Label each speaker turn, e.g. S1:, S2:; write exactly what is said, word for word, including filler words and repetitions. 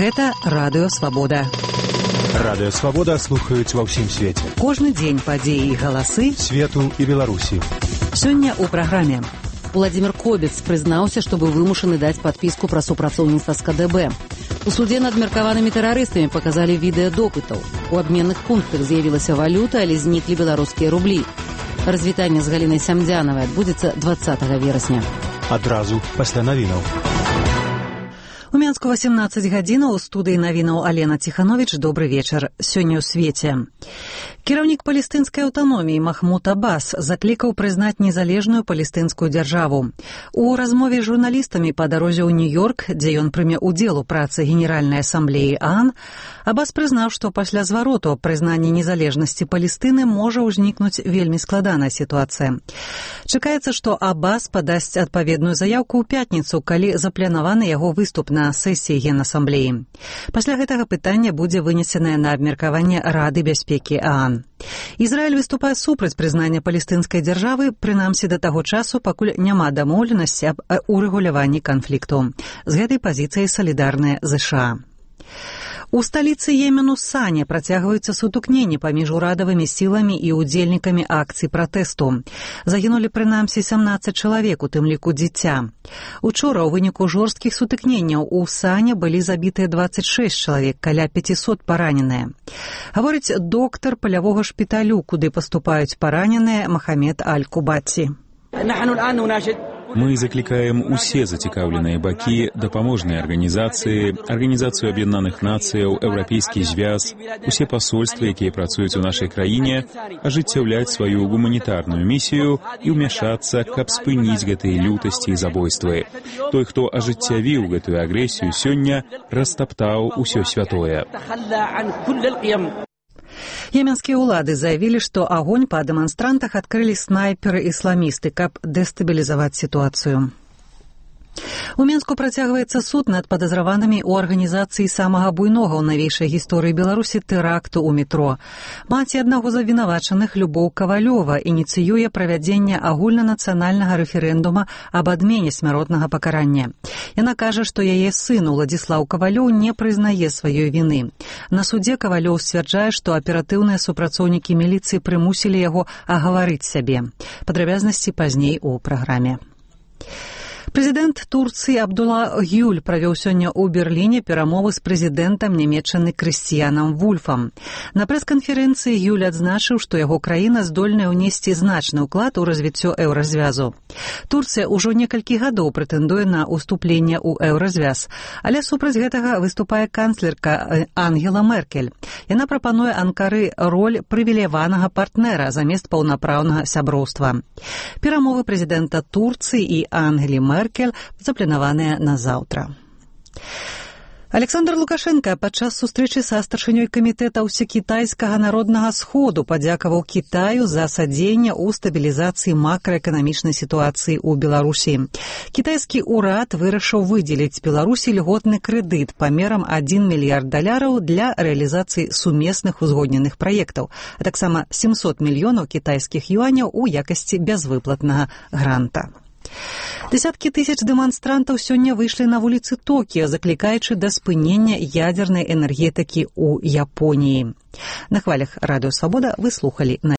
S1: Гэта Радыё Свабода.
S2: Радыё Свабода слухаюць ва ўсім свеце.
S1: Кожны дзень падзеі і галасы
S2: свету і Беларусі.
S1: Сёння ў праграме. Владзімир Кобец прызнаўся, што быў вымушаны даць падпіску пра супрацоўніцтва з ка дэ бэ. У судзе над меркаванымі тэрарыстамі паказалі відэа допытаў. У абменных пунктах з'явілася валюта, але зніклі беларускія рублі. Развітанне з Галінай Сямдзянавай адбудзецца дваццатага верасня.
S2: Адразу пасля навінаў.
S1: У Менску васемнаццаць гадзінаў, у студыі навінаў Алена Ціхановіч. Добры вечар. Сёння ў свеце. Кіраўнік палестынскай аўтаноміі Махмуд Аббас заклікаў прызнаць незалежную палестынскую дзяржаву. У размове з журналістамі па дарозе ў Нью-Йорк, дзе ён прыме удзел у працы Генеральнай асамблеі ААН, Аббас прызнаў, што пасля звароту прызнання незалежнасці Палестыны можа ўзнікнуць вельмі складаная сітуацыя. Чакаецца, што Аббас падасць адпаведную заяўку ў пятніцу, калі запланаваны яго выступ на сесіі Генасамблеі. Пасля гэтага пытання будзе вынесенае на абмеркаванне Рады бяспекі ААН. Ізраіль выступае супраць прызнання палестынскай дзяржавы, прынамсі да таго часу, пакуль няма дамоўленасці аб урэгуляванні канфлікту. З гэтай пазіцыяй салідарныя ЗША. У сталіцы Йемену Сане працягваюцца сутыкненні паміж урадавымі сіламі і удзельнікамі акцый пратэсту. Загінулі прынамсі сямнаццаць чалавек, у тым ліку дзіця. Учора ў выніку жорсткіх сутыкненняў у Сане былі забітыя дваццаць шэсць чалавек, каля пяцісот параненыя. Гаворыць доктар палявога шпіталю, куды паступаюць параненыя, Махамед Аль-Кубаці.
S3: Мы закликаем усе зацікаўленыя бакі, дапаможныя арганізацыі, Арганізацыю Аб'яднаных Нацыяў, Еўрапейскі звяз, усе пасольствы, якія працуюць у нашай краіне, ажыццяўляць сваю гуманітарную місію і ўмяшацца, каб спыніць гэтыя лютасці і забойствы. Той, хто ажыццявіў гэтую агрэсію сёння, растаптаў усё святое.
S1: Йеменскія ўлады заявілі, што агонь па дэманстрантах адкрылі снайперы-ісламісты, каб дэстабілізаваць сітуацыю. У Менску працягваецца суд над падазраванымі ў арганізацыі самага буйнога ў навейшай гісторыі Беларусі тэракту ў метро. Маці аднаго з абвінавачаных, Любоў Кавалёва, ініцыюе правядзенне агульнанацыянальнага рэферэндума аб адмене смяротнага пакарання. Яна кажа, што яе сын Уладзіслаў Кавалёў не прызнае сваёй віны. На судзе Кавалёў сцвярджае, што аператыўныя супрацоўнікі міліцыі прымусілі яго агаварыць сябе. Падрабязнасці пазней у праграме. Прэзідэнт Турцыі Абдулла Гюль правёў сёння ў Берліне перамовы з прэзідэнтам Нямеччыны Крысціянам Вульфам. На прэс-канферэнцыі Гюль адзначыў, што яго краіна здольная ўнесці значны ўклад у развіццё еўразвязу. Турцыя ўжо некалькі гадоў прэтэндуе на ўступленне ў еўразвяз, але супраць гэтага выступае канцлерка Ангела Меркель. Яна прапануе Анкары роль прывілеяванага партнера замест паўнапраўнага сяброўства. Перамовы прэзідэнта Турцыі і Ангелі Меркель запланаваныя на заўтра. Александр Лукашенко падчас сустрэчы са старшынёй камітэта ўсекітайскага народнага сходу падзякаваў Кітаю за садзейнне ў стабілізацыі макраэканамічнай сітуацыі ў Беларусі. Кітайскі ўрад вырашыў выдзеліць Беларусі льготны крэдыт памерам адзін мільярд даляраў для рэалізацыі сумесных узгодненых праектаў, а таксама сямсот мільёнаў кітайскіх юаняў у якасці бязвыплатнага гранта. Десяткі тысяч дэманстрантаў сёння выйшлі на вуліцы Токіо, заклікаючы да спынення ядзернай энергетыкі ў Японіі. На хвалях Радыё Свабода вы слухалі на